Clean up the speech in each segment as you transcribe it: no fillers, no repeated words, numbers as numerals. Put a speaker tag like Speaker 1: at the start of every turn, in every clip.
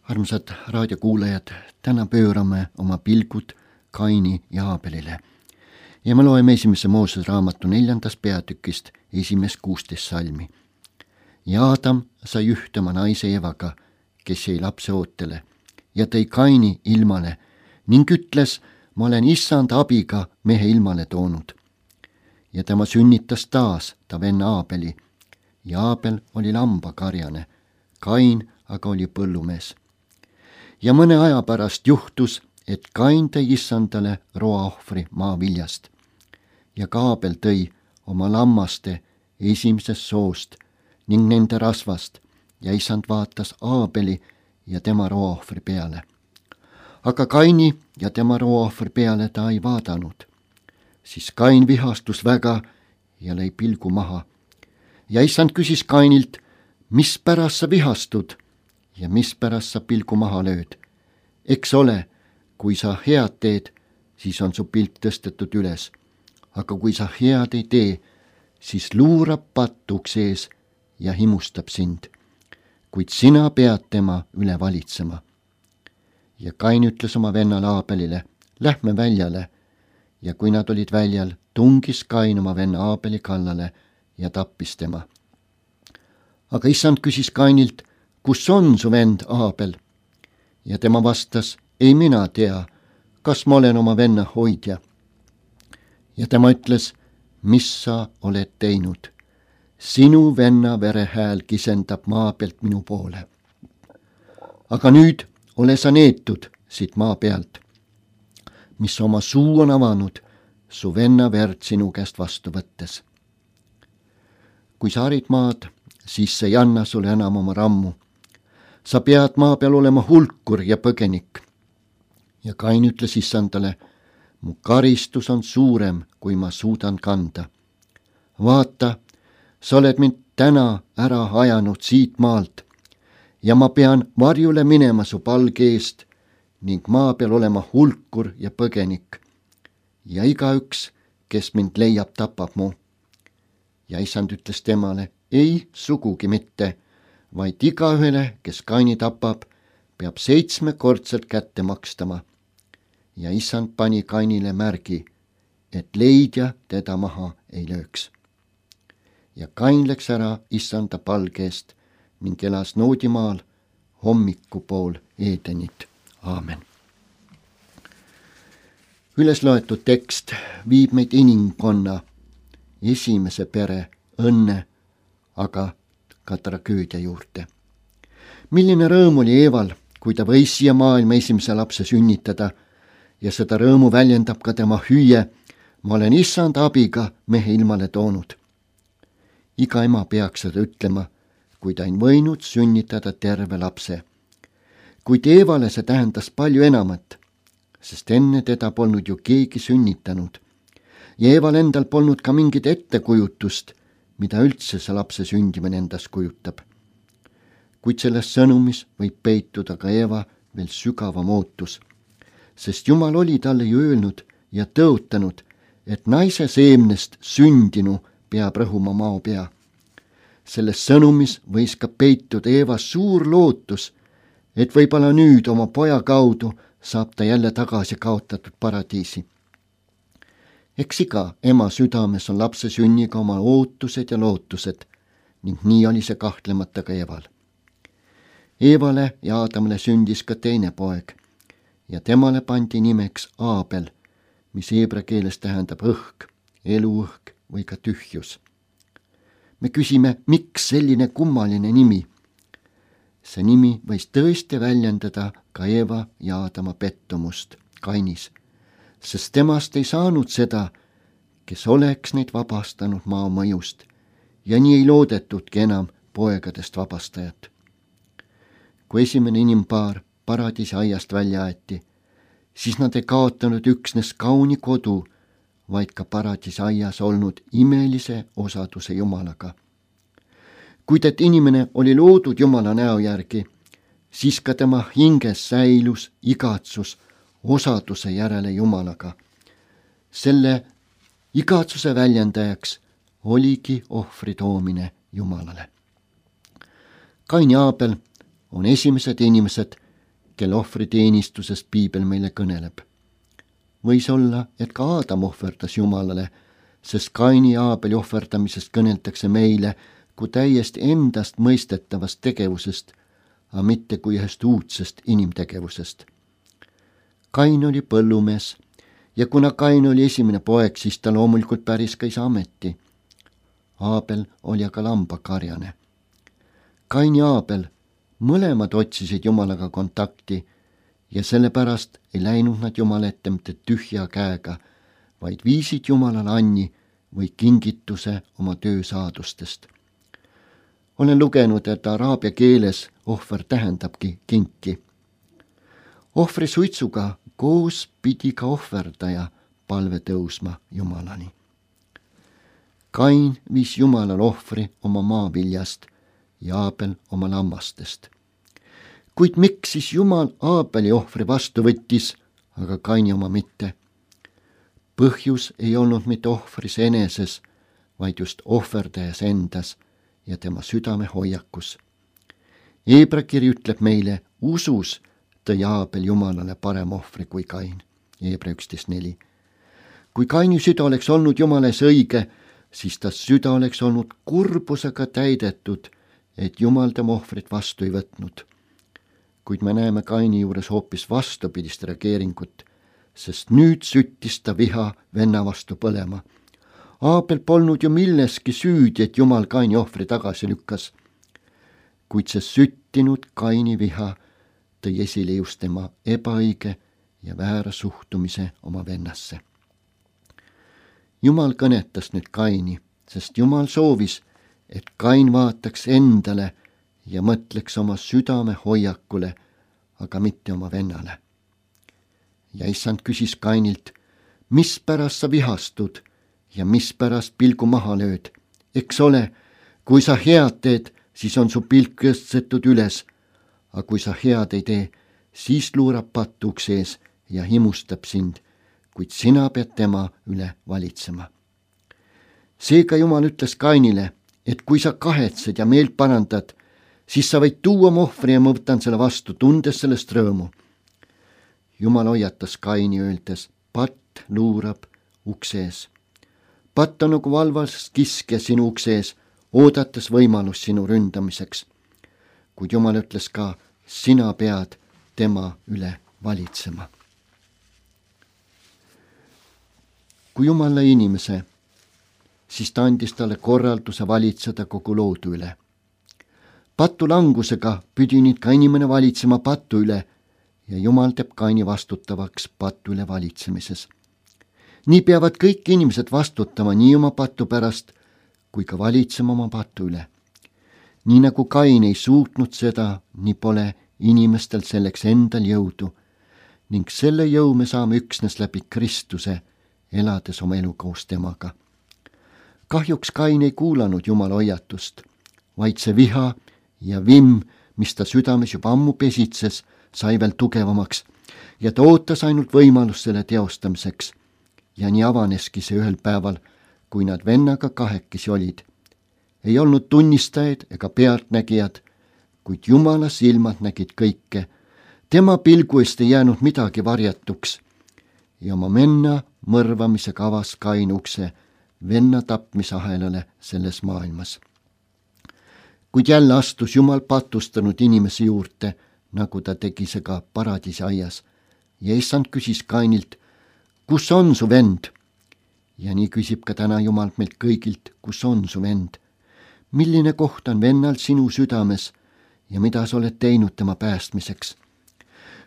Speaker 1: Armsad raadiokuulajad, täna pöörame oma pilgud Kaini ja Aabelile. Ja me loeme esimese Moosese raamatu 4. peatükist 16 salmi. Ja Aadam sai ühtema naise Evaga, kes jäi lapse ootele, ja tõi Kaini ilmale ning ütles, ma olen issand abiga mehe ilmale toonud. Ja tema sünnitas taas ta venna Aabeli, ja Aabel oli lambakarjane, Kain aga oli põllumees. Ja mõne aja pärast juhtus, et Kain tõi issandale roaohvri maaviljast ja ka Aabel tõi oma lammaste esimesest soost ning nende rasvast ja issand vaatas Aabeli ja tema roaohvri peale. Aga Kaini ja tema roaohvri peale ta ei vaadanud. Siis Kain vihastus väga ja lõi pilgu maha. Ja issand küsis Kainilt, mis pärast sa vihastud ja mis pärast sa pilgu maha lööd? Eks ole, kui sa head teed, siis on su pilk tõstetud üles. Aga kui sa head ei tee, siis luurab patt ukse ees ja himustab sind. Kuid sina pead tema üle valitsema. Ja Kain ütles oma vennale Aabelile, lähme väljale. Ja kui nad olid väljal, tungis Kain oma venna Aabeli kallale ja tappis tema. Aga issand küsis Kainilt, kus on su vend Aabel? Ja tema vastas, ei mina tea, kas ma olen oma venna hoidja. Ja tema ütles, mis sa oled teinud? Sinu venna verehääl kisendab maa pealt minu poole. Aga nüüd ole sa neetud siit maa pealt, mis oma suu on avanud su venna verd sinu käest vastu võttes. Kui sa harid maad, siis see ei anna sulle enam oma rammu. Sa pead maa peal olema hulkur ja põgenik. Ja Kain ütles issandale, mu karistus on suurem, kui ma suudan kanda. Vaata, sa oled mind täna ära ajanud siit maalt ja ma pean varjule minema su palge eest ning maa peal olema hulkur ja põgenik. Ja igaüks, kes mind leiab, tapab mu. Ja issand ütles temale, ei sugugi mitte, vaid igaühele, kes Kaini tapab, peab 7-kordselt kätte makstama. Ja issand pani Kainile märgi, et leidja teda maha ei lööks. Ja Kain läks ära issanda palge eest ning elas Noodimaal hommikupool Edenit. Aamen. Üles loetud tekst viib meid inimkonna esimese pere õnne, aga ka tragöödia juurde. Milline rõõm oli Eeval, kui ta võis siia maailma esimese lapse sünnitada ja seda rõõmu väljendab ka tema hüüe, ma olen issand abiga mehe ilmale toonud. Iga ema peaks seda ütlema, kui ta on võinud sünnitada terve lapse. Kuid Eevale see tähendas palju enamat, sest enne teda polnud ju keegi sünnitanud ja Eeval endal polnud ka mingit ettekujutust, mida üldse see lapse sündimine endas kujutab. Kuid selles sõnumis võib peituda ka Eeva veel sügavam ootus, sest Jumal oli talle ju öelnud ja tõotanud, et naise seemnest sündinu peab rõhuma mao pea. Selles sõnumis võis ka peituda Eeva suur lootus, et võib-olla nüüd oma poja kaudu saab ta jälle tagasi kaotatud paradiisi. Eks iga ema südames on lapse sünniga oma ootused ja lootused ning nii oli see kahtlemata ka Eeval. Eevale ja Aadamale sündis ka teine poeg ja temale pandi nimeks Aabel, mis heebra keeles tähendab õhk, eluõhk või ka tühjus. Me küsime, miks selline kummaline nimi? See nimi võis tõesti väljendada ka Eeva ja Aadama pettumust Kainis, sest temast ei saanud seda, kes oleks neid vabastanud maa mõjust ja nii ei loodetudki enam poegadest vabastajat. Kui esimene inimpaar paradiisi aiast välja aeti, siis nad ei kaotanud üksnes kauni kodu, vaid ka paradiisi aias olnud imelise osaduse Jumalaga. Kuid et inimene oli loodud Jumala näo järgi, siis ka tema hinges säilus igatsus osaduse järele Jumalaga. Selle igatsuse väljendajaks oligi ohvri toomine Jumalale. Kain ja Aabel on esimesed inimesed, kelle ohvriteenistusest piibel meile kõneleb. Võis olla, et ka Aadam ohverdas Jumalale, sest Kaini ja Aabeli ohverdamisest kõneldakse meile kui täiesti endast mõistetavast tegevusest, aga mitte kui ühest uudsest inimtegevusest. Kain oli põllumees ja kuna Kain oli esimene poeg, siis ta loomulikult päris ka isa ameti. Aabel oli aga lambakarjane. Kain ja Aabel mõlemad otsisid Jumalaga kontakti ja sellepärast ei läinud nad Jumala ette mitte tühja käega, vaid viisid Jumalale anni või kingituse oma töösaadustest. Olen lugenud, et araabia keeles ohver tähendabki kinki. Ohvri suitsuga koos pidi ka ohverdaja palve tõusma Jumalani. Kain viis Jumalale ohvri oma maaviljast ja Aabel oma lammastest. Kuid miks siis Jumal Aabeli ohvri vastu võttis, aga Kaini oma mitte? Põhjus ei olnud mitte ohvris eneses, vaid just ohverdajas endas ja tema südame hoiakus. Heebra kiri ütleb meile, usus tõi Aabel Jumalale parem ohvri kui Kain. Heebra 11.4. Kui Kaini süda oleks olnud Jumala ees õige, siis ta süda oleks olnud kurbusega täidetud, et Jumal tema ohvrit vastu ei võtnud. Kuid me näeme Kaini juures hoopis vastupidist reageeringut, sest nüüd süttis ta viha venna vastu põlema. Aabel polnud ju milleski süüdi, et Jumal Kaini ohvri tagasi lükkas. Kuid see süttinud Kaini viha tõi esile just tema ebaõige ja väära suhtumise oma vennasse. Jumal kõnetas nüüd Kaini, sest Jumal soovis, et Kain vaataks endale ja mõtleks oma südame hoiakule, aga mitte oma vennale. Ja issand küsis Kainilt, mispärast sa vihastud ja mispärast pilgu maha lööd? Eks ole, kui sa head teed, siis on su pilk tõstetud üles, aga kui sa head ei tee, siis luurab patt ukse ees ja himustab sind, kuid sina pead tema üle valitsema. Seega Jumal ütles Kainile, et kui sa kahetsed ja meelt parandad, siis sa võid tuua oma ohvri ja ma võtan selle vastu, tundes sellest rõõmu. Jumal hoiatas Kaini öeldes, patt luurab ukse ees. Patt on nagu valvas kiskja sinu ukse ees, oodates võimalust sinu ründamiseks. Kuid Jumal ütles ka, sina pead tema üle valitsema. Kui Jumal lõi inimese, siis ta andis talle korralduse valitseda kogu loodu üle. Patu langusega pidi nüüd ka inimene valitsema patu üle ja Jumal teeb Kaini vastutavaks patu üle valitsemises. Nii peavad kõik inimesed vastutama nii oma patu pärast, kui ka valitsema oma patu üle. Nii nagu Kain ei suutnud seda, nii pole inimestel selleks endal jõudu ning selle jõu me saame üksnes läbi Kristuse, elades oma elu koos temaga. Kahjuks Kain ei kuulanud Jumala hoiatust, vaid see viha ja vimm, mis ta südames juba ammu pesitses, sai veel tugevamaks ja ta ootas ainult võimalust selle teostamiseks. Ja nii avaneski see ühel päeval, kui nad vennaga kahekesi olid. Ei olnud tunnistajaid ega pealtnägijad, kuid Jumala silmad nägid kõike. Tema pilgu eest ei jäänud midagi varjatuks ja oma venna mõrvamisega avas Kain ukse venna tapmisahelale selles maailmas. Kuid jälle astus Jumal patustanud inimese juurde, nagu ta tegi see ka paradiisi aias. Ja issand küsis Kainilt, kus on su vend? Ja nii küsib ka täna Jumal meilt kõigilt, kus on su vend? Milline koht on vennal sinu südames ja mida sa oled teinud tema päästmiseks?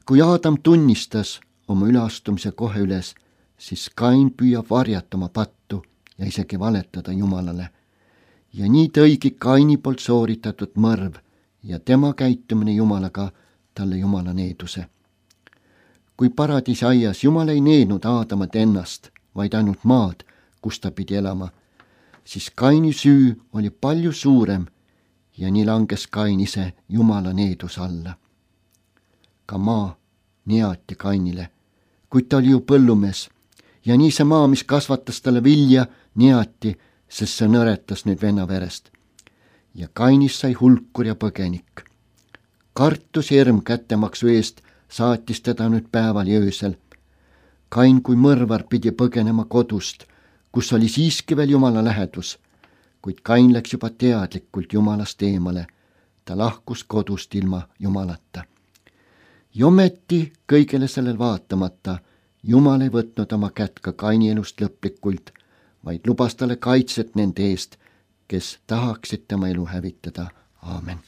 Speaker 1: Kui Aadam tunnistas oma üleastumise kohe üles, siis Kain püüab varjata oma pattu ja isegi valetada Jumalale. Ja nii tõigi Kaini poolt sooritatud mõrv ja tema käitumine Jumalaga talle Jumala needuse. Kui paradiisi aias Jumal ei neednud Aadamat ennast, vaid ainult maad, kus ta pidi elama, siis Kaini süü oli palju suurem ja nii langes Kain ise Jumala needuse alla. Ka maa neati Kainile, kuid ta oli ju põllumees ja nii see maa, mis kasvatas talle vilja, neati, sest see nõretas nüüd venna verest. Ja Kainist sai hulkur ja põgenik. Kartus ja hirm kättemaksu eest saatis teda nüüd päeval ja öösel. Kain kui mõrvar pidi põgenema kodust, kus oli siiski veel Jumala lähedus, kuid Kain läks juba teadlikult Jumalast eemale. Ta lahkus kodust ilma Jumalata. Ja ometi kõigele sellel vaatamata Jumal ei võtnud oma kätt ka Kaini elust lõplikult, vaid lubas talle kaitset nende eest, kes tahaksid tema elu hävitada. Aamen.